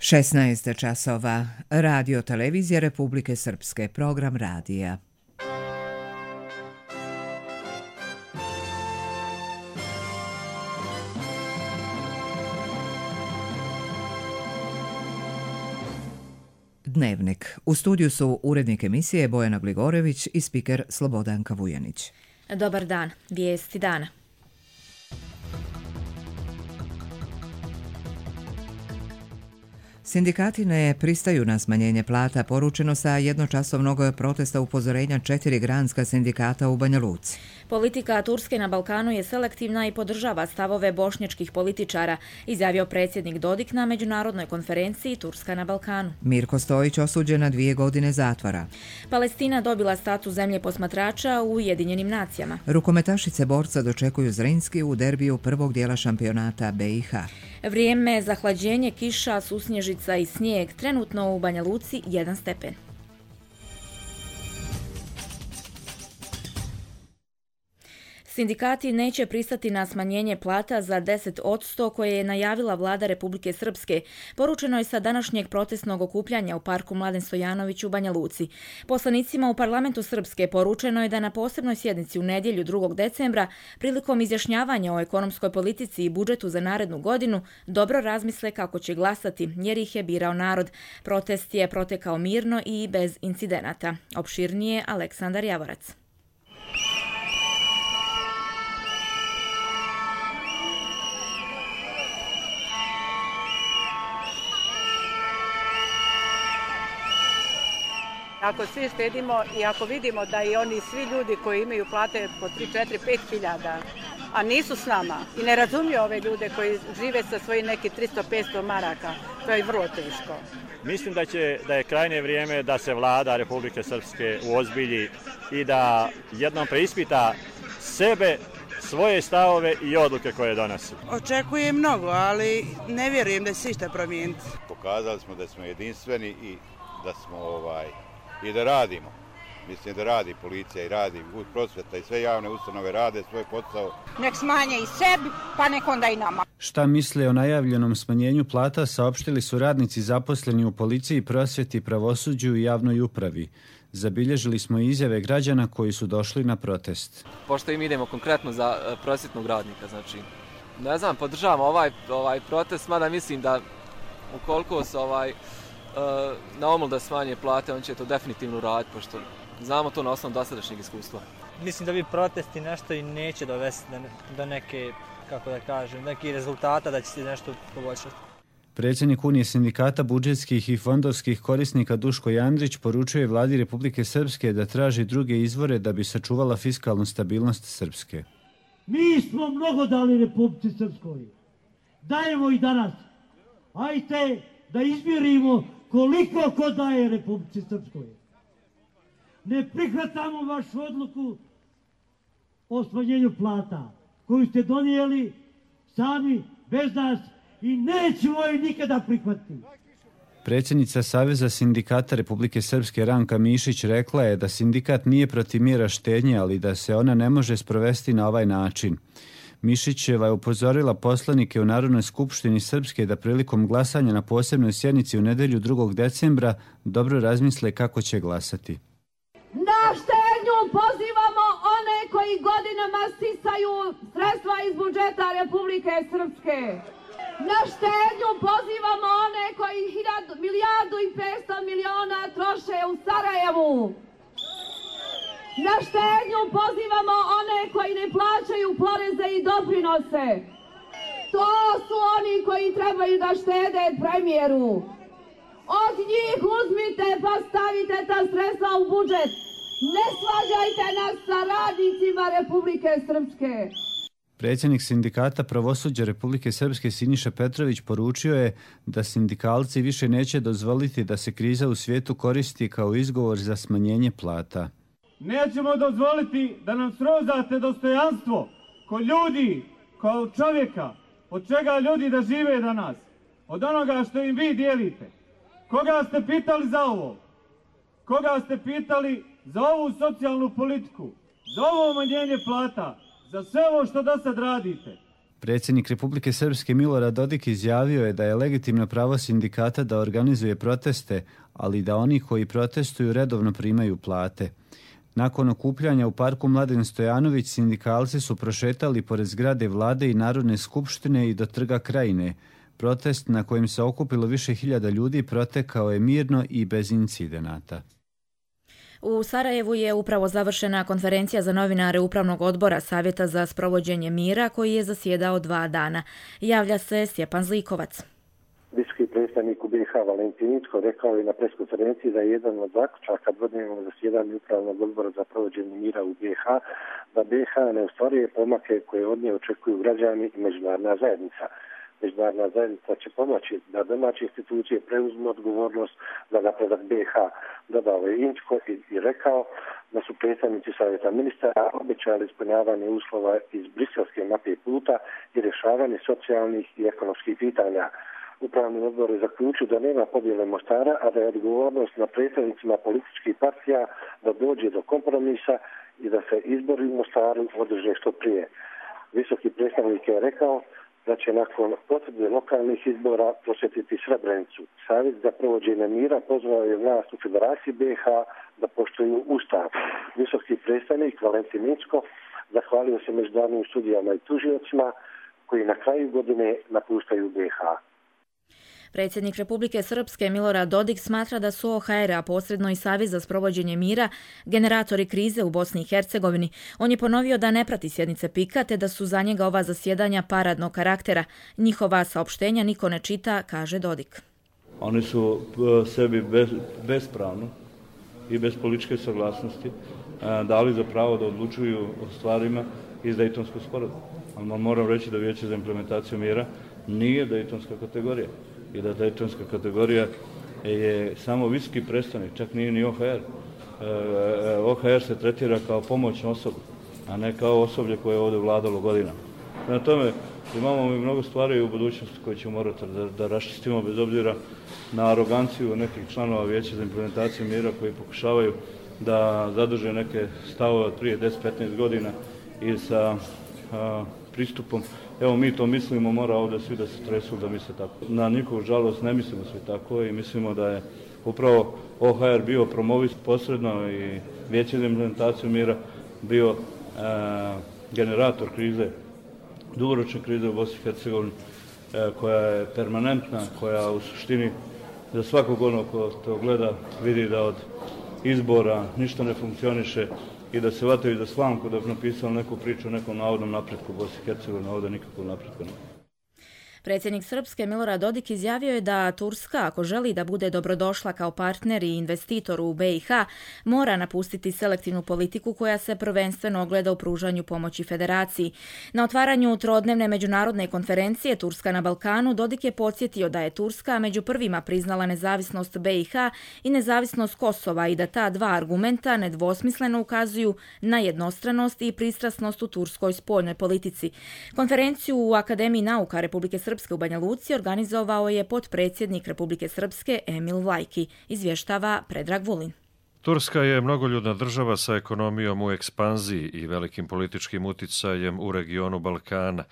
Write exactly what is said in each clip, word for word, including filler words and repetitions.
šesnaest časova. Radio televizija Republike Srpske. Program radija. Dnevnik. U studiju su urednik emisije Bojana Gligorević i spiker Slobodanka Vujanić. Dobar dan. Vijesti dana. Sindikati ne pristaju na smanjenje plata, poručeno sa jednočasovnog protesta upozorenja četiri granska sindikata u Banja Luci. Politika Turske na Balkanu je selektivna i podržava stavove bošnjačkih političara, izjavio predsjednik Dodik na međunarodnoj konferenciji Turska na Balkanu. Mirko Stojić osuđen na dvije godine zatvora. Palestina dobila status zemlje posmatrača u Ujedinjenim nacijama. Rukometašice borca dočekuju Zrinski u derbiju prvog dijela šampionata B i H. Vrijeme za hlađenje, kiša, susnježica i snijeg, trenutno u Banja Luci jedan stepen. Sindikati neće pristati na smanjenje plata za deset posto koje je najavila vlada Republike Srpske. Poručeno je sa današnjeg protestnog okupljanja u parku Mladen Stojanović u Banja Luci. Poslanicima u parlamentu Srpske poručeno je da na posebnoj sjednici u nedjelju drugog decembra prilikom izjašnjavanja o ekonomskoj politici i budžetu za narednu godinu dobro razmisle kako će glasati jer ih je birao narod. Protest je protekao mirno i bez incidenata. Opširnije Aleksandar Javorac. Ako svi štedimo i ako vidimo da i oni svi ljudi koji imaju plate po tri, četiri, pet hiljada, a nisu s nama i ne razumiju ove ljude koji žive sa svojih nekih tristo do petsto maraka, to je vrlo teško. Mislim da, će, da je krajnje vrijeme da se vlada Republike Srpske uozbilji i da jednom preispita sebe, svoje stavove i odluke koje donosi. Očekujem mnogo, ali ne vjerujem da će se išta promijeniti. Pokazali smo da smo jedinstveni i da smo ovaj i da radimo. Mislim da radi policija i radi prosvjeta i sve javne ustanove rade svoj posao. Nek smanje i sebi, pa nek onda i nama. Šta misle o najavljenom smanjenju plata saopštili su radnici zaposleni u policiji, prosvjeti, pravosuđu i javnoj upravi. Zabilježili smo izjave građana koji su došli na protest. Pošto im idemo konkretno za prosvjetnog radnika, znači, ne znam, podržavam ovaj, ovaj protest, mada mislim da ukoliko se ovaj na omul da smanje plate, on će to definitivno raditi, pošto znamo to na osnovu dosadašnjeg iskustva. Mislim da bi protesti nešto i neće dovesti do neke, kako da kažem, nekih rezultata, da će se nešto poboljšati. Predsjednik Unije sindikata budžetskih i fondovskih korisnika Duško Jandrić poručuje vladi Republike Srpske da traži druge izvore da bi sačuvala fiskalnu stabilnost Srpske. Mi smo mnogo dali Republici Srpskoj. Dajemo i danas. Ajte da izmjerimo koliko ko daje Republici Srpskoj. Ne prihvatamo vašu odluku o smanjenju plata koju ste donijeli sami, bez nas i nećemo je nikada prihvatiti. Predsjednica Saveza sindikata Republike Srpske Ranka Mišić rekla je da sindikat nije protiv mjera štednje, ali da se ona ne može sprovesti na ovaj način. Mišićeva je upozorila poslanike u Narodnoj skupštini Srpske da prilikom glasanja na posebnoj sjednici u nedjelju drugog decembra dobro razmisle kako će glasati. Na štednju pozivamo one koji godinama sisaju sredstva iz budžeta Republike Srpske. Na štednju pozivamo one koji hiljadu, milijardu i petsto miliona troše u Sarajevu. Na štednju pozivamo one koji ne plaćaju poreze i doprinose. To su oni koji trebaju da štede premijeru. Od njih uzmite pa stavite ta sredstva u budžet. Ne svađajte nas sa radnicima Republike Srpske. Predsjednik sindikata pravosuđa Republike Srpske Siniša Petrović poručio je da sindikalci više neće dozvoliti da se kriza u svijetu koristi kao izgovor za smanjenje plata. Nećemo dozvoliti da nam srozate dostojanstvo ko ljudi, kao čovjeka, od čega ljudi da žive danas, od onoga što im vi dijelite. Koga ste pitali za ovo? Koga ste pitali za ovu socijalnu politiku, za ovo umanjenje plata, za sve ovo što do sad radite? Predsjednik Republike Srpske Milorad Dodik izjavio je da je legitimno pravo sindikata da organizuje proteste, ali da oni koji protestuju redovno primaju plate. Nakon okupljanja u parku Mladen Stojanović, sindikalci su prošetali pored zgrade vlade i Narodne skupštine i do trga Krajine. Protest na kojem se okupilo više hiljada ljudi protekao je mirno i bez incidenata. U Sarajevu je upravo završena konferencija za novinare Upravnog odbora Savjeta za sprovođenje mira koji je zasjedao dva dana. Javlja se Stjepan Zlikovac. Visoki predstavnik u B i H Valentin Incko rekao je na preskonferenciji da je jedan od zaključaka dvodnevnog zasjedanja Upravnog odbora za provođenje mira u B i H da B i H ne ostvaruje pomake koje od nje očekuju građani i međunarodna zajednica. Međunarodna zajednica će pomoći da domaće institucije preuzmu odgovornost za napredak B i H. Dodao je Incko i, i rekao da su predstavnici Savjeta ministara obećali ispunjavanje uslova iz briselske mape puta i rješavanje socijalnih i ekonomskih pitanja. Upravni odbor je zaključio da nema podjele Mostara, a da je odgovornost na predstavnicima političkih partija da dođe do kompromisa i da se izbori u Mostaru održe što prije. Visoki predstavnik je rekao da će nakon potvrde lokalnih izbora posjetiti Srebrenicu. Savjet za provođenje mira pozvao je vlast u Federaciji B i H da poštuju Ustav. Visoki predstavnik Valentin Incko zahvalio se međunarodnim studijama i tužiocima koji na kraju godine napuštaju B i H. Predsjednik Republike Srpske Milorad Dodik smatra da su O H R, a posredno i Savez za sprovođenje mira, generatori krize u Bosni i Hercegovini. On je ponovio da ne prati sjednice P I K A te da su za njega ova zasjedanja paradnog karaktera. Njihova saopštenja niko ne čita, kaže Dodik. Oni su sebi bez, bespravno i bez političke saglasnosti dali za pravo da odlučuju o stvarima iz Dejtonskog sporazuma. Ali moram reći da Vijeće za implementaciju mira nije Dejtonska kategorija i da Dejtonska kategorija je samo visoki predstavnik, čak nije ni O H R. O H R se tretira kao pomoćno osoba, a ne kao osoblje koje je ovdje vladalo godinama. Na tome imamo mi mnogo stvari u budućnosti koje ćemo morati da, da raščistimo bez obzira na aroganciju nekih članova Vijeća za implementaciju mira koji pokušavaju da zadrže neke stavove od prije deset do petnaest godina i sa a, pristupom. Evo mi to mislimo, mora ovdje svi da se tresu da misle tako. Na njihovu žalost ne mislimo svi tako i mislimo da je upravo O H R bio promovist posredno i Vijeće za implementaciju mira bio e, generator krize, dugoročne krize u Bosni i Hercegovini e, koja je permanentna, koja u suštini za svakog onog ko to gleda vidi da od izbora ništa ne funkcioniše i da se vataju za slamku da bi napisali neku priču o nekom navodnom napretku u Bosni i Hercegovini, ovdje nikakvog napretka nema. Predsjednik Srpske Milorad Dodik izjavio je da Turska, ako želi da bude dobrodošla kao partner i investitor u B i H, mora napustiti selektivnu politiku koja se prvenstveno ogleda u pružanju pomoći federaciji. Na otvaranju trodnevne međunarodne konferencije Turska na Balkanu Dodik je podsjetio da je Turska među prvima priznala nezavisnost B i H i nezavisnost Kosova i da ta dva argumenta nedvosmisleno ukazuju na jednostranost i pristrasnost u turskoj spoljnoj politici. Konferenciju u Akademiji nauka Republike Srpske u Banja Luci organizovao je potpredsjednik Republike Srpske Emil Vlajki, izvještava Predrag Vulin. Turska je mnogoljudna država sa ekonomijom u ekspanziji i velikim političkim uticajem u regionu Balkana,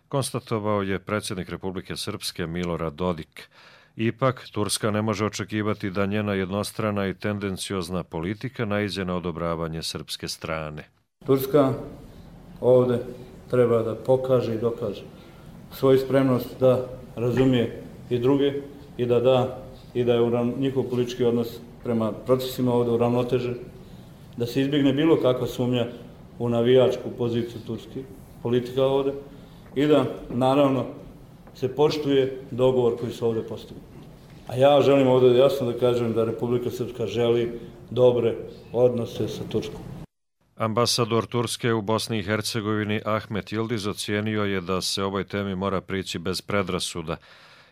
konstatovao je predsjednik Republike Srpske Milorad Dodik. Ipak, Turska ne može očekivati da njena jednostrana i tendenciozna politika naiđe na odobravanje srpske strane. Turska ovdje treba da pokaže i dokaže svoju spremnost da razumije i druge i da da i da je njihov politički odnos prema procesima ovdje uravnotežen, da se izbjegne bilo kakva sumnja u navijačku poziciju turskih politika ovdje i da naravno se poštuje dogovor koji su ovdje postigli. A ja želim ovdje jasno da kažem da Republika Srpska želi dobre odnose sa Turskom. Ambasador Turske u Bosni i Hercegovini Ahmet Yildiz ocijenio je da se ovoj temi mora prići bez predrasuda.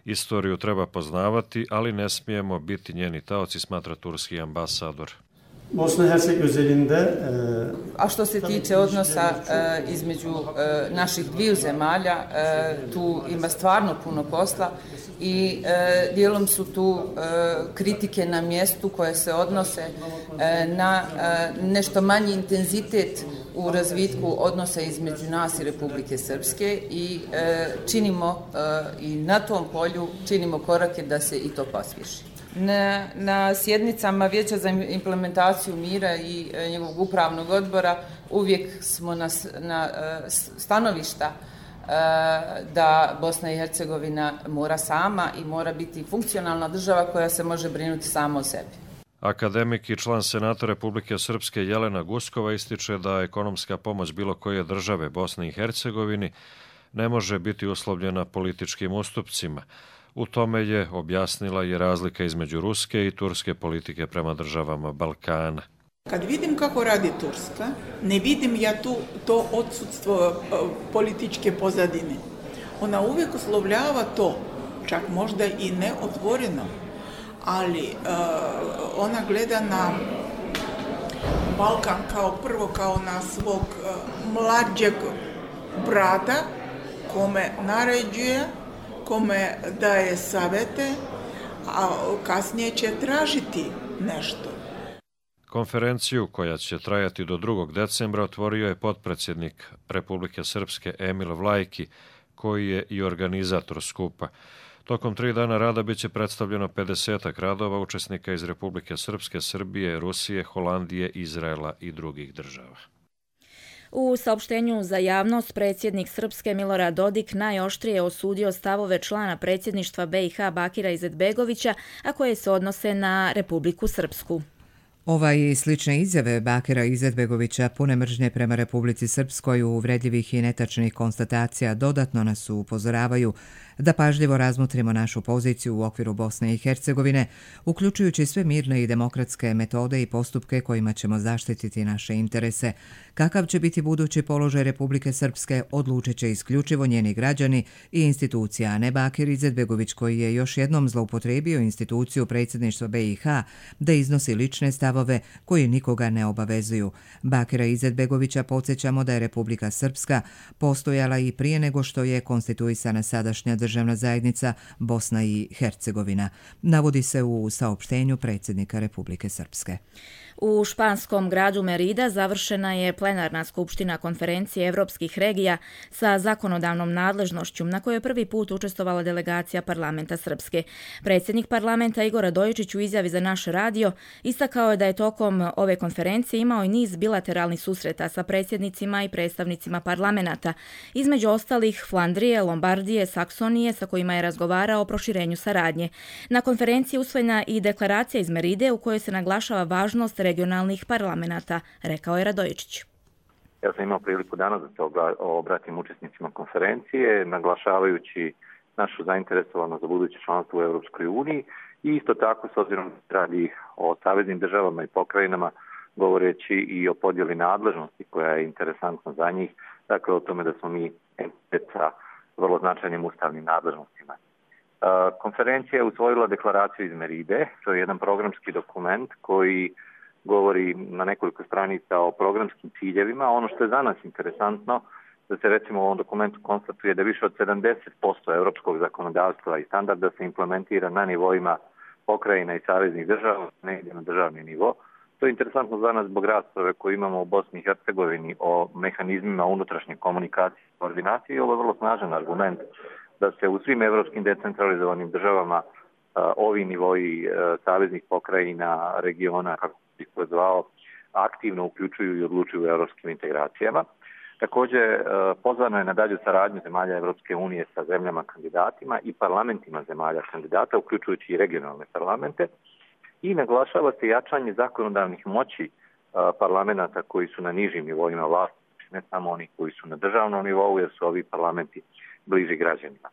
Istoriju treba poznavati, ali ne smijemo biti njeni taoci, smatra turski ambasador. Bosna i Herceg özelinde... A što se tiče odnosa e, između e, naših dviju zemalja, e, tu ima stvarno puno posla i e, dijelom su tu e, kritike na mjestu koje se odnose e, na e, nešto manji intenzitet u razvitku odnosa između nas i Republike Srpske i e, činimo e, i na tom polju činimo korake da se i to pospješi. Na, na sjednicama Vijeća za implementaciju mira i e, njegovog upravnog odbora uvijek smo na, na e, stanovišta e, da Bosna i Hercegovina mora sama i mora biti funkcionalna država koja se može brinuti sama o sebi. Akademik i član Senata Republike Srpske Jelena Guskova ističe da ekonomska pomoć bilo koje države Bosni i Hercegovini ne može biti uslovljena političkim ustupcima. U tome je objasnila i razlika između ruske i turske politike prema državama Balkana. Kad vidim kako radi Turska, ne vidim ja tu to odsudstvo političke pozadine. Ona uvijek uslovljava to, čak možda i neotvoreno, ali uh, ona gleda na Balkan kao prvo kao na svog uh, mlađeg brata kome naređuje, kome daje savete, a kasnije će tražiti nešto. Konferenciju koja će trajati do drugog decembra otvorio je potpredsjednik Republike Srpske Emil Vlajki, koji je i organizator skupa. Tokom tri dana rada biće predstavljeno pedesetak radova učesnika iz Republike Srpske, Srbije, Rusije, Holandije, Izraela i drugih država. U saopštenju za javnost predsjednik Srpske Milorad Dodik najoštrije osudio stavove člana predsjedništva B i H Bakira Izetbegovića, a koje se odnose na Republiku Srpsku. Ova i slične izjave Bakira Izetbegovića pune mržnje prema Republici Srpskoj, uvredljivih i netačnih konstatacija dodatno nas upozoravaju da pažljivo razmotrimo našu poziciju u okviru Bosne i Hercegovine, uključujući sve mirne i demokratske metode i postupke kojima ćemo zaštititi naše interese. Kakav će biti budući položaj Republike Srpske odlučit će isključivo njeni građani i institucija, a ne Bakir Izetbegović, koji je još jednom zloupotrijebio instituciju predsjedništva B i H da iznosi lične stavove koji nikoga ne obavezuju. Bakira Izetbegovića podsjećamo da je Republika Srpska postojala i prije nego što je konstituisana sadašnja državna zajednica Bosna i Hercegovina, navodi se u saopštenju predsjednika Republike Srpske. U španskom gradu Merida završena je plenarna skupština konferencije evropskih regija sa zakonodavnom nadležnošću na kojoj je prvi put učestvovala delegacija parlamenta Srpske. Predsjednik parlamenta Igor Radojičić u izjavi za naš radio istakao je da je tokom ove konferencije imao i niz bilateralnih susreta sa predsjednicima i predstavnicima parlamenta, između ostalih Flandrije, Lombardije, Saksonije, sa kojima je razgovarao o proširenju saradnje. Na konferenciji usvojena i deklaracija iz Meride u kojoj se naglašava važnost regionalnih parlamenta, rekao je Radojičić. Ja sam imao priliku danas da se obratim učesnicima konferencije, naglašavajući našu zainteresovanost za buduće članstvo u Europskoj uniji i isto tako, s obzirom da radi o saveznim državama i pokrajinama, govoreći i o podjeli nadležnosti koja je interesantna za njih, dakle o tome da smo mi entitet sa vrlo značajnim ustavnim nadležnostima. Konferencija je usvojila deklaraciju iz Meride, to je jedan programski dokument koji govori na nekoliko stranica o programskim ciljevima. Ono što je za nas interesantno, da se recimo u ovom dokumentu konstatuje da više od sedamdeset posto europskog zakonodavstva i standarda se implementira na nivoima pokrajina i saveznih država, ne ide na državni nivo. To je interesantno za nas zbog rasprave koju imamo u Bosni i Hercegovini o mehanizmima unutrašnje komunikacije i koordinacije. Ovo je vrlo snažan argument da se u svim evropskim decentralizovanim državama a, ovi nivoji a, saveznih pokrajina, regiona, kako bih pozvao, aktivno uključuju i odlučuju u evropskim integracijama. Također, pozvano je na dalju saradnju zemalja Evropske unije sa zemljama kandidatima i parlamentima zemalja kandidata, uključujući i regionalne parlamente, i naglašava se jačanje zakonodavnih moći parlamenta koji su na nižim nivoima vlasti, ne samo oni koji su na državnom nivou, jer su ovi parlamenti bliži građanima.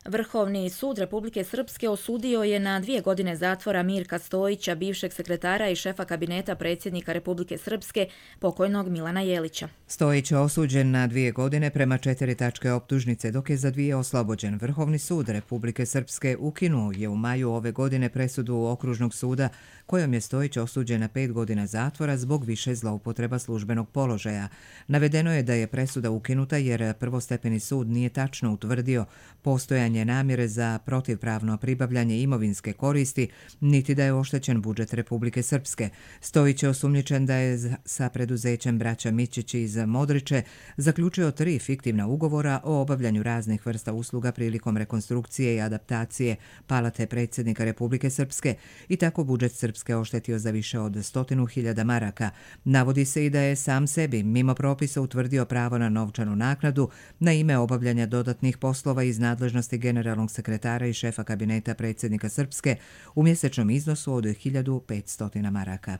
Vrhovni sud Republike Srpske osudio je na dvije godine zatvora Mirka Stojića, bivšeg sekretara i šefa kabineta predsjednika Republike Srpske, pokojnog Milana Jelića. Stojić je osuđen na dvije godine prema četiri tačke optužnice, dok je za dvije oslobođen. Vrhovni sud Republike Srpske ukinuo je u maju ove godine presudu Okružnog suda kojom je Stojić osuđen na pet godina zatvora zbog više zloupotreba službenog položaja. Navedeno je da je presuda ukinuta jer prvostepeni sud nije tačno utvrdio postojanje postojanje namjere za protivpravno pribavljanje imovinske koristi, niti da je oštećen budžet Republike Srpske. Stojić je osumnjičen da je sa preduzećem braća Mićić iz Modriče zaključio tri fiktivna ugovora o obavljanju raznih vrsta usluga prilikom rekonstrukcije i adaptacije palate predsjednika Republike Srpske i tako budžet Srpske oštetio za više od stotinu hiljada maraka. Navodi se i da je sam sebi mimo propisa utvrdio pravo na novčanu naknadu na ime obavljanja dodatnih poslova iz nadležnosti generalnog sekretara i šefa kabineta predsjednika Srpske u mjesečnom iznosu od hiljadu petsto maraka.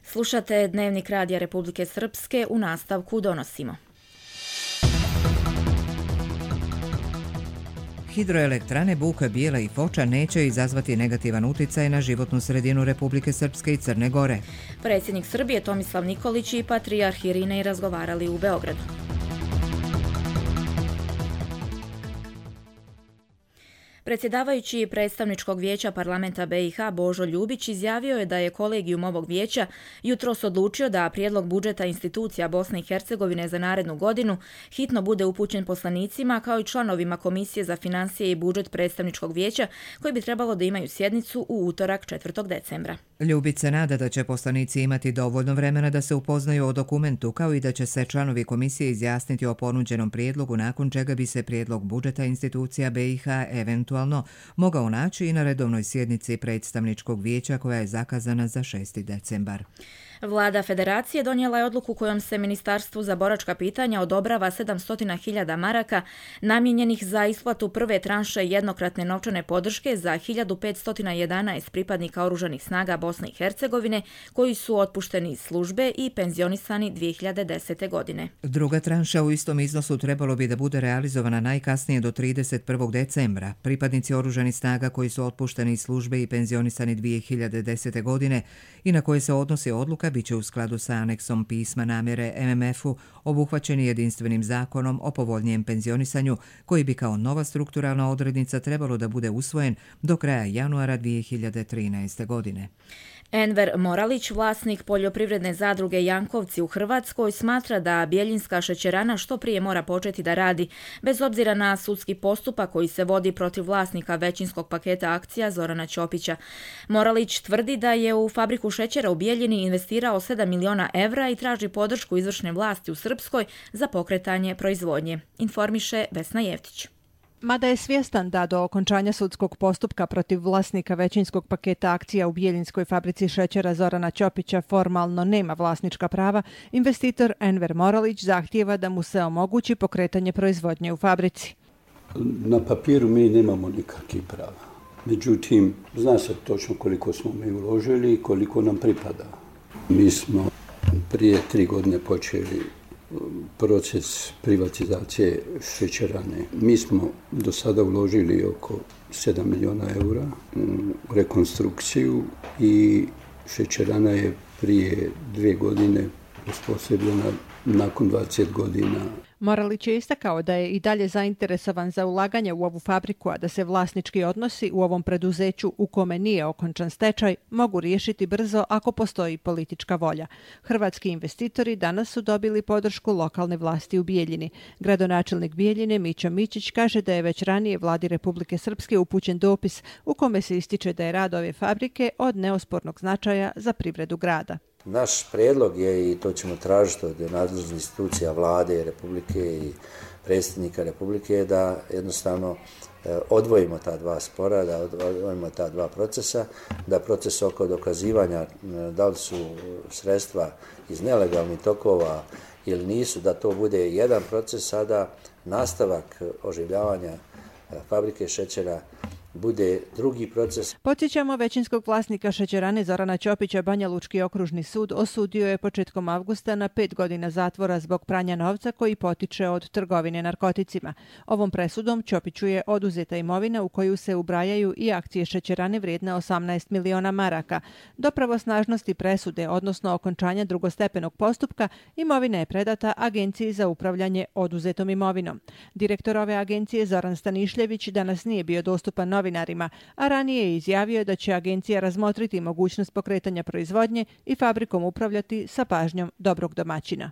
Slušate Dnevnik Radija Republike Srpske, u nastavku donosimo. Hidroelektrane Buka, Bijela i Foča neće izazvati negativan uticaj na životnu sredinu Republike Srpske i Crne Gore. Predsjednik Srbije Tomislav Nikolić i patrijarh Irinej razgovarali u Beogradu. Predsjedavajući predstavničkog vijeća parlamenta B i H Božo Ljubić izjavio je da je kolegijum ovog vijeća jutros odlučio da prijedlog budžeta institucija Bosne i Hercegovine za narednu godinu hitno bude upućen poslanicima kao i članovima Komisije za financije i budžet predstavničkog vijeća koji bi trebalo da imaju sjednicu u utorak četvrtog decembra. Ljubić se nada da će poslanici imati dovoljno vremena da se upoznaju o dokumentu, kao i da će se članovi komisije izjasniti o ponuđenom prijedlogu, nakon čega bi se prijedlog budžeta institucija B i H eventualno mogao naći i na redovnoj sjednici predstavničkog vijeća koja je zakazana za šesti decembar. Vlada Federacije donijela je odluku kojom se Ministarstvu za boračka pitanja odobrava sedamsto hiljada maraka namijenjenih za isplatu prve tranše jednokratne novčane podrške za hiljadu petsto jedanaest pripadnika oružanih snaga Bosne i Hercegovine koji su otpušteni iz službe i penzionisani dvije hiljade desete. godine. Druga tranša u istom iznosu trebalo bi da bude realizovana najkasnije do trideset prvog decembra. Pripadnici oružanih snaga koji su otpušteni iz službe i penzionisani dvije hiljade desete. godine i na koje se odnosi odluka biće u skladu sa aneksom pisma namjere M M F-u obuhvaćeni jedinstvenim zakonom o povoljnijem penzionisanju koji bi kao nova strukturalna odrednica trebalo da bude usvojen do kraja januara dvije hiljade trinaeste. godine. Enver Moralić, vlasnik poljoprivredne zadruge Jankovci u Hrvatskoj, smatra da Bjeljinska šećerana što prije mora početi da radi, bez obzira na sudski postupak koji se vodi protiv vlasnika većinskog paketa akcija Zorana Ćopića. Moralić tvrdi da je u fabriku šećera u Bijeljini investirao sedam miliona evra i traži podršku izvršne vlasti u Srpskoj za pokretanje proizvodnje, informiše Vesna Jevtić. Mada je svjestan da do okončanja sudskog postupka protiv vlasnika većinskog paketa akcija u Bijeljinskoj fabrici šećera Zorana Ćopića formalno nema vlasnička prava, investitor Enver Moralić zahtijeva da mu se omogući pokretanje proizvodnje u fabrici. Na papiru mi nemamo nikakvih prava. Međutim, zna se točno koliko smo mi uložili i koliko nam pripada. Mi smo prije tri godine počeli proces privatizacije šećerane. Mi smo do sada uložili oko sedam miliona eura u rekonstrukciju i šećerana je prije dvije godine uspostavljena nakon dvadeset godina. Moralić je istakao da je i dalje zainteresovan za ulaganje u ovu fabriku, a da se vlasnički odnosi u ovom preduzeću u kome nije okončan stečaj mogu riješiti brzo ako postoji politička volja. Hrvatski investitori danas su dobili podršku lokalne vlasti u Bijeljini. Gradonačelnik Bijeljine Mićo Mićić kaže da je već ranije vladi Republike Srpske upućen dopis u kome se ističe da je rad ove fabrike od neospornog značaja za privredu grada. Naš prijedlog je, i to ćemo tražiti od nadležnih institucija vlade Republike i predsjednika Republike, da jednostavno odvojimo ta dva spora, da odvojimo ta dva procesa, da proces oko dokazivanja da li su sredstva iz nelegalnih tokova ili nisu, da to bude jedan proces, sada nastavak oživljavanja fabrike šećera bude drugi proces. Podsjećamo, većinskog vlasnika šećerane Zorana Ćopića Banja Lučki okružni sud osudio je početkom avgusta na pet godina zatvora zbog pranja novca koji potiče od trgovine narkoticima. Ovom presudom Ćopiću je oduzeta imovina u koju se ubrajaju i akcije šećerane vrijedne osamnaest miliona maraka. Do pravosnažnosti presude, odnosno okončanja drugostepenog postupka, imovina je predata Agenciji za upravljanje oduzetom imovinom. Direktor ove agencije Zoran Stanišljević danas nije bio dostupan novinarima, a ranije je izjavio da će agencija razmotriti mogućnost pokretanja proizvodnje i fabrikom upravljati sa pažnjom dobrog domaćina.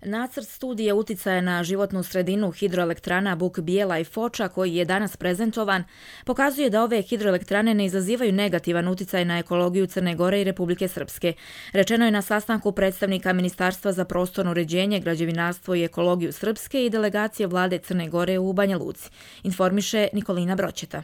Nacrt studije uticaja na životnu sredinu hidroelektrana Buk Bijela i Foča, koji je danas prezentovan, pokazuje da ove hidroelektrane ne izazivaju negativan uticaj na ekologiju Crne Gore i Republike Srpske. Rečeno je na sastanku predstavnika Ministarstva za prostorno uređenje, građevinarstvo i ekologiju Srpske i delegacije vlade Crne Gore u Banja Luci, informiše Nikolina Broćeta.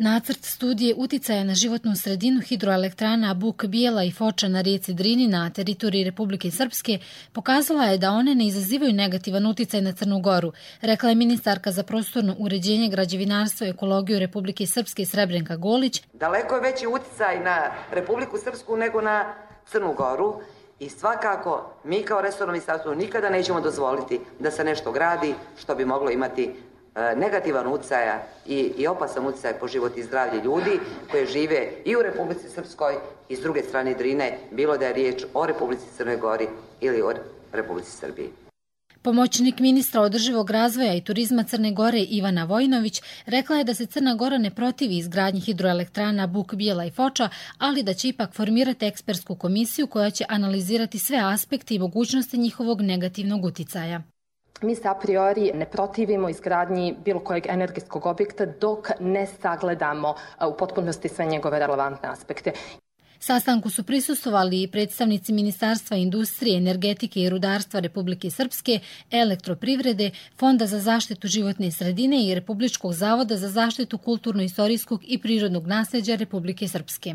Nacrt studije uticaja na životnu sredinu hidroelektrana Buk Bijela i Foča na rijeci Drini na teritoriji Republike Srpske pokazala je da one ne izazivaju negativan uticaj na Crnu Goru, rekla je ministarka za prostorno uređenje, građevinarstvo i ekologiju Republike Srpske Srebrenka Golić. Daleko je veći uticaj na Republiku Srpsku nego na Crnu Goru i svakako mi kao resorno ministarstvo nikada nećemo dozvoliti da se nešto gradi što bi moglo imati negativan utjecaj i, i opasan utjecaj po život i zdravlje ljudi koji žive i u Republici Srpskoj i s druge strane Drine, bilo da je riječ o Republici Crnoj Gori ili o Republici Srbiji. Pomoćnik ministra održivog razvoja i turizma Crne Gore Ivana Vojinović rekla je da se Crna Gora ne protivi izgradnji hidroelektrana Buk Bijela i Foča, ali da će ipak formirati ekspertsku komisiju koja će analizirati sve aspekte i mogućnosti njihovog negativnog uticaja. Mi se a priori ne protivimo izgradnji bilo kojeg energetskog objekta dok ne sagledamo u potpunosti sve njegove relevantne aspekte. Sastanku su prisustvovali i predstavnici Ministarstva industrije, energetike i rudarstva Republike Srpske, Elektroprivrede, Fonda za zaštitu životne sredine i Republičkog zavoda za zaštitu kulturno-istorijskog i prirodnog nasljeđa Republike Srpske.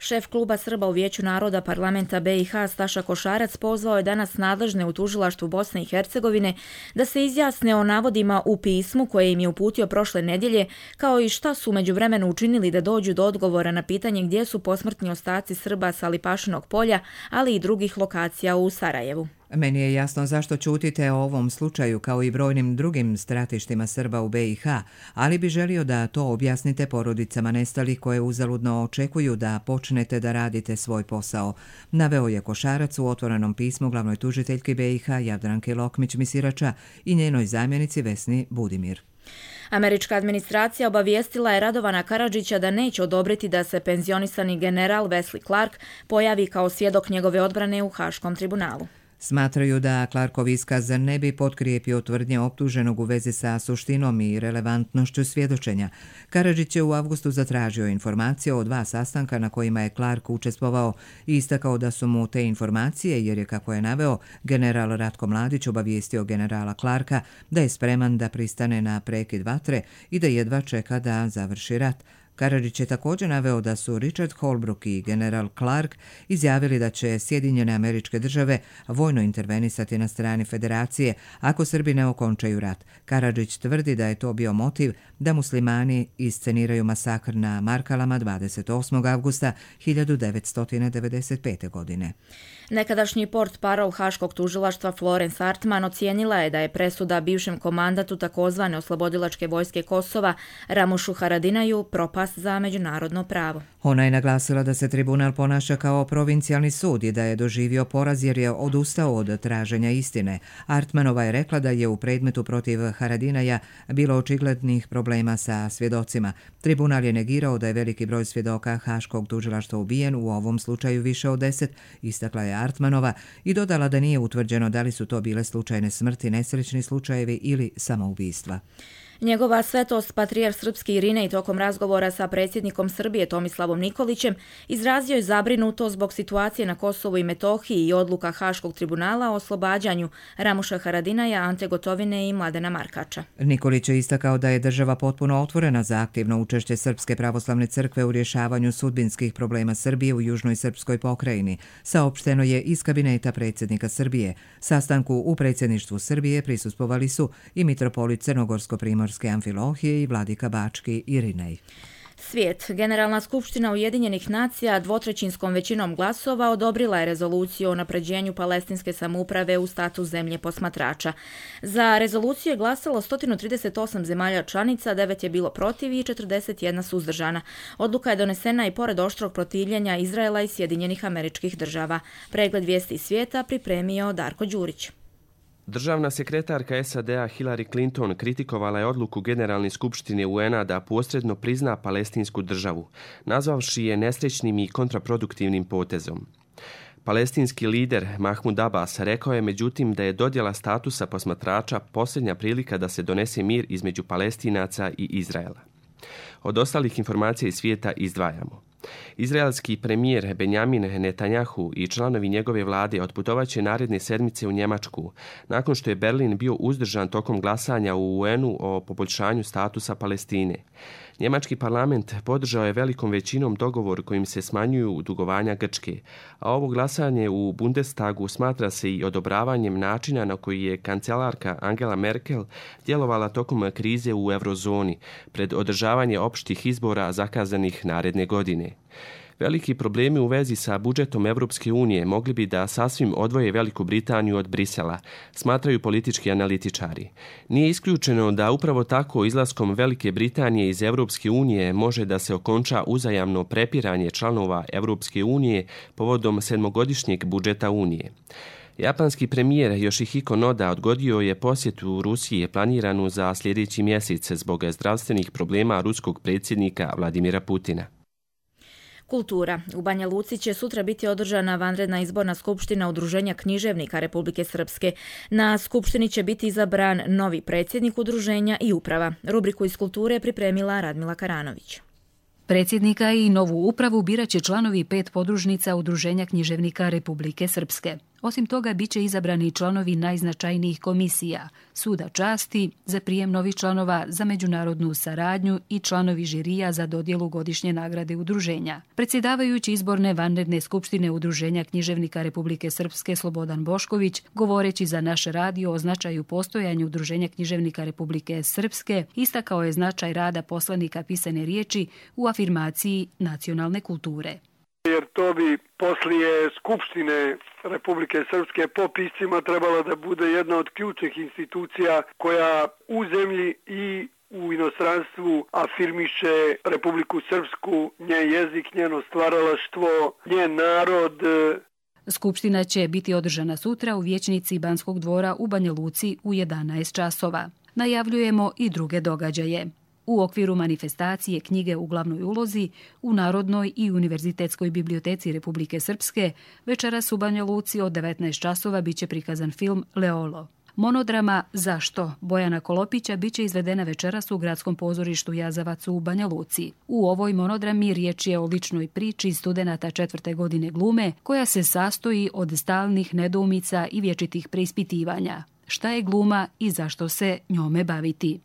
Šef kluba Srba u Vijeću naroda parlamenta B i H Staša Košarac pozvao je danas nadležne u tužilaštvu Bosne i Hercegovine da se izjasne o navodima u pismu koje im je uputio prošle nedjelje, kao i šta su međuvremenu učinili da dođu do odgovora na pitanje gdje su posmrtni ostaci Srba sa Lipašinog polja, ali i drugih lokacija u Sarajevu. Meni je jasno zašto ćutite o ovom slučaju kao i brojnim drugim stratištima Srba u B i H, ali bi želio da to objasnite porodicama nestalih koje uzaludno očekuju da počnete da radite svoj posao, naveo je Košarac u otvorenom pismu glavnoj tužiteljki B i H Jadranke Lokmić-Misirača i njenoj zamjenici Vesni Budimir. Američka administracija obavijestila je Radovana Karadžića da neće odobriti da se penzionisani general Wesley Clark pojavi kao svjedok njegove odbrane u Haškom tribunalu. Smatraju da Clarkov iskaz ne bi potkrijepio tvrdnje optuženog u vezi sa suštinom i relevantnošću svjedočenja. Karadžić je u avgustu zatražio informacije o dva sastanka na kojima je Clark učestvovao i istakao da su mu te informacije, jer je, kako je naveo, general Ratko Mladić obavijestio generala Clarka da je spreman da pristane na prekid vatre i da jedva čeka da završi rat. Karadžić je također naveo da su Richard Holbrooke i general Clark izjavili da će Sjedinjene Američke Države vojno intervenisati na strani federacije ako Srbi ne okončaju rat. Karadžić tvrdi da je to bio motiv da muslimani isceniraju masakr na Markalama dvadeset osmog avgusta hiljadu devetsto devedeset pete. godine. Nekadašnji portparol Haškog tužilaštva Florence Artman ocijenila je da je presuda bivšem komandatu takozvane oslobodilačke vojske Kosova Ramušu Haradinaju propast za međunarodno pravo. Ona je naglasila da se tribunal ponaša kao provincijalni sud i da je doživio poraz jer je odustao od traženja istine. Artmanova je rekla da je u predmetu protiv Haradinaja bilo očiglednih problema sa svjedocima. Tribunal je negirao da je veliki broj svjedoka Haškog tužilaštva ubijen, u ovom slučaju više od deset, istakla je Artmanova i dodala da nije utvrđeno da li su to bile slučajne smrti, nesrećni slučajevi ili samoubistva. Njegova svetost patrijarh srpski Irinej tokom razgovora sa predsjednikom Srbije Tomislavom Nikolićem izrazio je zabrinuto zbog situacije na Kosovu i Metohiji i odluka Haškog tribunala o oslobađanju Ramuša Haradinaja, Ante Gotovine i Mladena Markača. Nikolić je istakao da je država potpuno otvorena za aktivno učešće Srpske pravoslavne crkve u rješavanju sudbinskih problema Srbije u južnoj srpskoj pokrajini. Saopšteno je iz kabineta predsjednika Srbije. Sastanku u predsjedništvu Srbije prisustvovali su i mitropolit Crnogorsko-Primorske Amfilohije i vladika Bački Irinej. Svijet. Generalna skupština Ujedinjenih nacija dvotrećinskom većinom glasova odobrila je rezoluciju o napređenju palestinske samouprave u status zemlje posmatrača. Za rezoluciju je glasalo sto trideset osam zemalja članica, devet je bilo protiv i četrdeset jedna suzdržana. Odluka je donesena i pored oštrog protivljenja Izraela i Sjedinjenih Američkih Država. Pregled vijesti svijeta pripremio Darko Đurić. Državna sekretarka S A D-a Hillary Clinton kritikovala je odluku Generalne skupštine U N-a da posredno prizna palestinsku državu, nazvavši je nesrećnim i kontraproduktivnim potezom. Palestinski lider Mahmud Abbas rekao je međutim da je dodjela statusa posmatrača posljednja prilika da se donese mir između Palestinaca i Izraela. Od ostalih informacija iz svijeta izdvajamo. Izraelski premijer Benjamin Netanjahu i članovi njegove vlade otputovaće naredne sedmice u Njemačku, nakon što je Berlin bio uzdržan tokom glasanja u U N-u o poboljšanju statusa Palestine. Njemački parlament podržao je velikom većinom dogovor kojim se smanjuju dugovanja Grčke, a ovo glasanje u Bundestagu smatra se i odobravanjem načina na koji je kancelarka Angela Merkel djelovala tokom krize u eurozoni pred održavanje opštih izbora zakazanih naredne godine. Veliki problemi u vezi sa budžetom Evropske unije mogli bi da sasvim odvoje Veliku Britaniju od Brisela, smatraju politički analitičari. Nije isključeno da upravo tako izlaskom Velike Britanije iz Evropske unije može da se okonča uzajamno prepiranje članova Evropske unije povodom sedmogodišnjeg budžeta Unije. Japanski premijer Yoshihiko Noda odgodio je posjetu Rusije planiranu za sljedeći mjesec zbog zdravstvenih problema ruskog predsjednika Vladimira Putina. Kultura. U Banja Luci će sutra biti održana vanredna izborna skupština Udruženja književnika Republike Srpske. Na skupštini će biti izabran novi predsjednik udruženja i uprava. Rubriku iz kulture pripremila Radmila Karanović. Predsjednika i novu upravu birat će članovi pet podružnica Udruženja književnika Republike Srpske. Osim toga, bit će izabrani članovi najznačajnijih komisija, Suda časti, za prijem novih članova za međunarodnu saradnju i članovi žirija za dodjelu godišnje nagrade udruženja. Predsjedavajući izborne vanredne skupštine Udruženja književnika Republike Srpske Slobodan Bošković, govoreći za naš radio o značaju postojanja Udruženja književnika Republike Srpske, istakao je značaj rada poslanika pisane riječi u afirmaciji nacionalne kulture. Jer to bi poslije Skupštine Republike Srpske po piscima trebala da bude jedna od ključnih institucija koja u zemlji i u inostranstvu afirmiše Republiku Srpsku, njen jezik, njeno stvaralaštvo, njen narod. Skupština će biti održana sutra u vijećnici Banskog dvora u Banja Luci u jedanaest časova. Najavljujemo i druge događaje. U okviru manifestacije knjige u glavnoj ulozi u Narodnoj i Univerzitetskoj biblioteci Republike Srpske večeras u Banja Luci od devetnaest časova biće prikazan film Leolo. Monodrama Zašto? Bojana Kolopića biće izvedena večeras u Gradskom pozorištu Jazavac u Banja Luci. U ovoj monodrami riječ je o ličnoj priči studenata četvrte godine glume koja se sastoji od stalnih nedoumica i vječitih preispitivanja. Šta je gluma i zašto se njome baviti?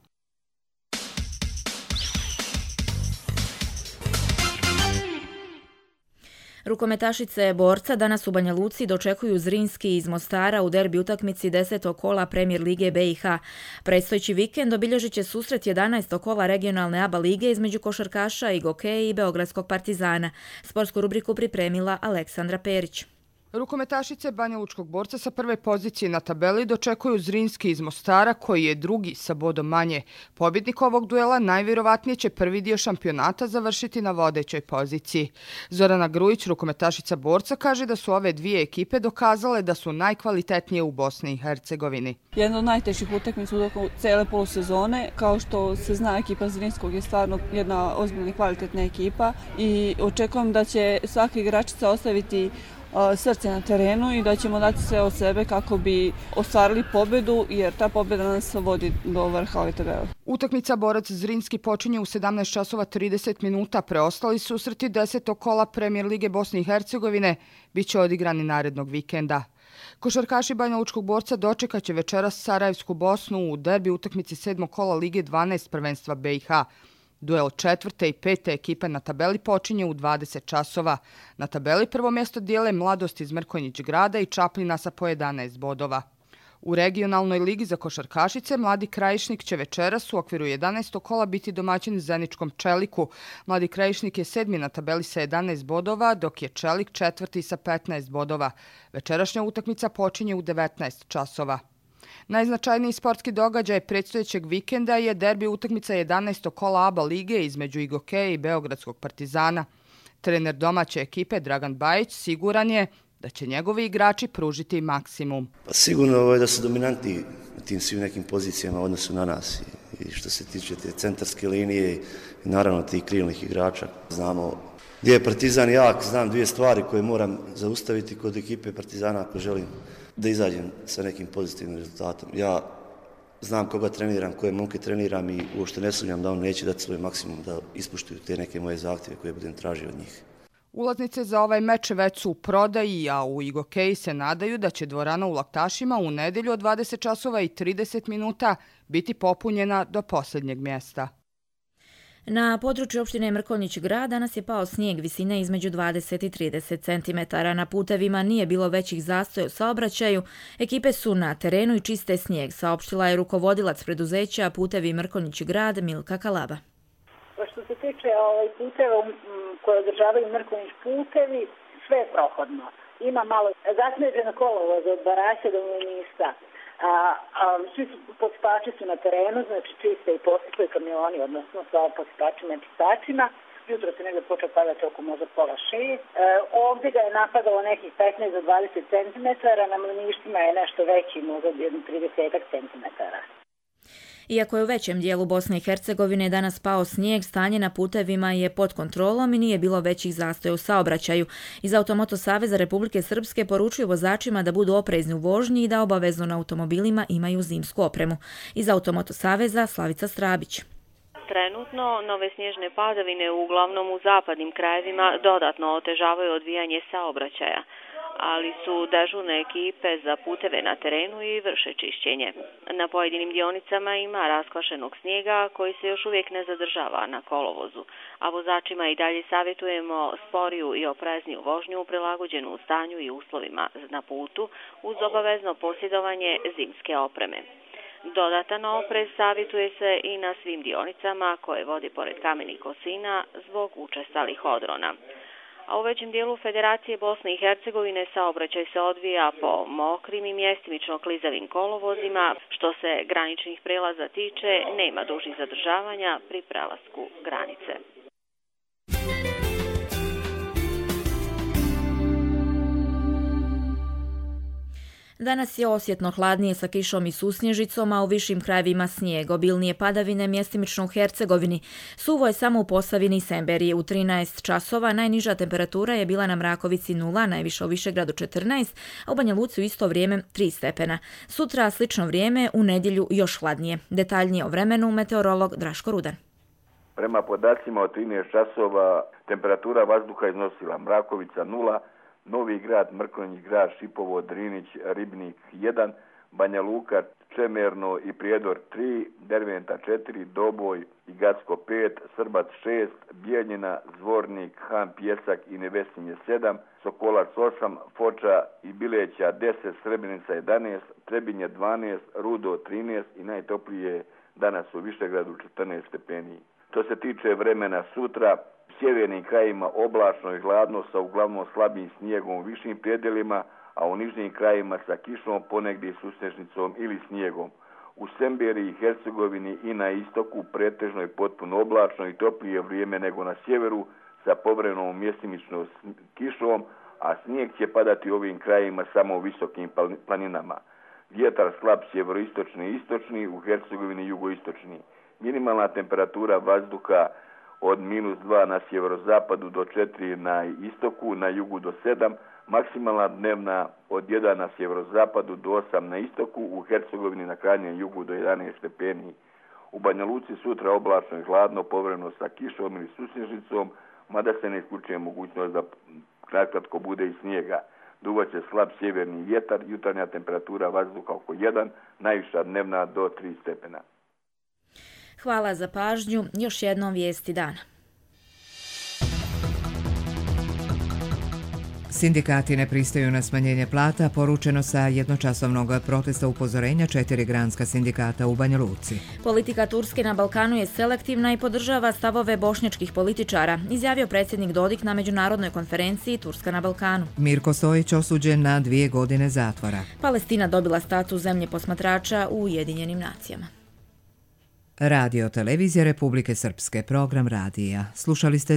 Rukometašice borca danas u Banja Luci dočekuju Zrinski iz Mostara u derbi utakmici desetog kola Premier lige B i H. Predstojeći vikend obilježit će susret jedanaestog kola regionalne A B A lige između košarkaša i Gokeja i Beogradskog Partizana. Sportsku rubriku pripremila Aleksandra Perić. Rukometašice Banja Lučkog borca sa prve pozicije na tabeli dočekuju Zrinski iz Mostara koji je drugi sa bodom manje. Pobjednik ovog duela najvjerovatnije će prvi dio šampionata završiti na vodećoj poziciji. Zorana Grujić, rukometašica borca, kaže da su ove dvije ekipe dokazale da su najkvalitetnije u Bosni i Hercegovini. Jedna od najtežih utakmica u toku cele polusezone. Kao što se zna, ekipa Zrinskog je stvarno jedna ozbiljna i kvalitetna ekipa i očekujem da će svaka igračica ostaviti srce na terenu i da ćemo dati sve od sebe kako bi ostvarili pobedu, jer ta pobjeda nas vodi do vrha ove tabele. Utakmica borac Zrinski počinje u sedamnaest časova trideset minuta. Preostali susreti desetog kola Premier lige Bosne i Hercegovine biće odigrani narednog vikenda. Košarkaši Banja Lučkog borca dočekat će večeras Sarajevsku Bosnu u derbi utakmici sedmog kola Lige dvanaest prvenstva B i H. Duel četvrte i pete ekipe na tabeli počinje u dvadeset časova. Na tabeli prvo mjesto dijele Mladost iz Mrkonjić grada i Čapljina sa po jedanaest bodova. U regionalnoj ligi za košarkašice Mladi Krajišnik će večeras u okviru jedanaestog kola biti domaćin Zeničkom Čeliku. Mladi Krajišnik je sedmi na tabeli sa jedanaest bodova, dok je Čelik četvrti sa petnaest bodova. Večerašnja utakmica počinje u devetnaest časova. Najznačajniji sportski događaj predstojećeg vikenda je derbi utakmica jedanaestog kola A B A lige između Gokeja i Beogradskog Partizana. Trener domaće ekipe Dragan Bajić siguran je da će njegovi igrači pružiti maksimum. Pa sigurno je da su dominantni na tim svim nekim pozicijama u odnosu na nas. I što se tiče te centarske linije i naravno tih krilnih igrača. Znamo gdje je Partizan jak, znam dvije stvari koje moram zaustaviti kod ekipe Partizana ako želim da izađem sa nekim pozitivnim rezultatom. Ja znam koga treniram, koje momke treniram i uopšte ne sumnjam da on neće dati svoj maksimum da ispuštuju te neke moje zahtjeve koje budem tražio od njih. Ulaznice za ovaj meč već su u prodaji, a u Igokeji se nadaju da će dvorana u Laktašima u nedjelju od dvadeset časova i trideset minuta biti popunjena do posljednjeg mjesta. Na području opštine Mrkonjić Grad danas je pao snijeg visine između dvadeset i trideset centimetara. Na putevima nije bilo većih zastoja u saobraćaju. Ekipe su na terenu i čiste snijeg, saopštila je rukovodilac preduzeća Putevi Mrkonjić Grad Milka Kalaba. Što se tiče ovaj, puteva koje održavaju Mrkonjić putevi, sve je prohodno. Ima malo zasneženo kolovoza od Baraća do Mlinista. A, a svi su posipači su na terenu, znači čiste i posipaju kamioni, odnosno sa posipačima i čistačima. Jutro se negdje počeo padati oko možda pola šest. E, ovdje ga je napadalo nekih petnaest do dvadeset centimetara, na Mliništima je nešto veći, možda jedno trideset centimetara. Iako je u većem dijelu Bosne i Hercegovine danas pao snijeg, stanje na putevima je pod kontrolom i nije bilo većih zastoja u saobraćaju. Iz Automoto Saveza Republike Srpske poručuju vozačima da budu oprezni u vožnji i da obavezno na automobilima imaju zimsku opremu. Iz Automoto Saveza Slavica Strabić. Trenutno nove snježne padavine uglavnom u zapadnim krajevima dodatno otežavaju odvijanje saobraćaja, ali su dežurne ekipe za puteve na terenu i vrše čišćenje. Na pojedinim dionicama ima raskvašenog snijega koji se još uvijek ne zadržava na kolovozu, a vozačima i dalje savjetujemo sporiju i oprezniju vožnju prilagođenu u stanju i uslovima na putu uz obavezno posjedovanje zimske opreme. Dodatan oprez savjetuje se i na svim dionicama koje vodi pored kamenih kosina zbog učestalih odrona. A u većem dijelu Federacije Bosne i Hercegovine saobraćaj se odvija po mokrim i mjestimično klizavim kolovozima. Što se graničnih prelaza tiče, nema dužih zadržavanja pri prelasku granice. Danas je osjetno hladnije sa kišom i susnježicom, a u višim krajevima snijeg, obilnije padavine mjestimično u Hercegovini. Suvo je samo u Posavini i Semberiji. U trinaest časova najniža temperatura je bila na Mrakovici nula, najviša u Višegradu četrnaest, a u Banja Luci u isto vrijeme tri stepena. Sutra slično vrijeme, u nedjelju još hladnije. Detaljnije o vremenu meteorolog Draško Rudan. Prema podacima od trinaest časova temperatura vazduha iznosila Mrakovica nula, Novi Grad, Mrkonjić Grad, Šipovo, Drinić, Ribnik jedan, Banja Luka, Čemerno i Prijedor tri, Derventa četiri, Doboj i Gacko pet, Srbac šest, Bijeljina, Zvornik, Han Pjesak i Nevesinje sedam, Sokolac osam, Foča i Bileća deset, Srebrenica jedanaest, Trebinje dvanaest, Rudo trinaest i najtoplije danas u Višegradu četrnaest stepeni. Što se tiče vremena sutra, u sjevernim krajima oblačno i hladno sa uglavnom slabim snijegom u višim predjelima, a u nižnim krajima sa kišom, ponegdje susnežnicom ili snijegom. U Semberiji i Hercegovini i na istoku pretežno i potpuno oblačno i toplije vrijeme nego na sjeveru sa povremenom mjestimičnom kišom, a snijeg će padati u ovim krajima samo u visokim planinama. Vjetar slab sjeveroistočni i istočni, u Hercegovini jugoistočni. Minimalna temperatura vazduha od minus dva na sjeverozapadu do četiri na istoku, na jugu do sedam, maksimalna dnevna od jedan na sjeverozapadu do osam na istoku, u Hercegovini na krajnjem jugu do jedanaest stepeni. U Banja Luci sutra oblačno i hladno, povremeno sa kišom ili susnježicom, mada se ne isključuje mogućnost da kratko bude i snijega. Duvaće slab sjeverni vjetar, jutarnja temperatura vazduha oko jedan, najviša dnevna do tri stepena. Hvala za pažnju. Još jednom vijesti dana. Sindikati ne pristaju na smanjenje plata, poručeno sa jednočasovnog protesta upozorenja četiri granska sindikata u Banja Luci. Politika Turske na Balkanu je selektivna i podržava stavove bošnjačkih političara, izjavio predsjednik Dodik na međunarodnoj konferenciji Turska na Balkanu. Mirko Stojić osuđen na dvije godine zatvora. Palestina dobila status zemlje posmatrača u Ujedinjenim nacijama. Radio Televizija Republike Srpske, program radija. Slušali ste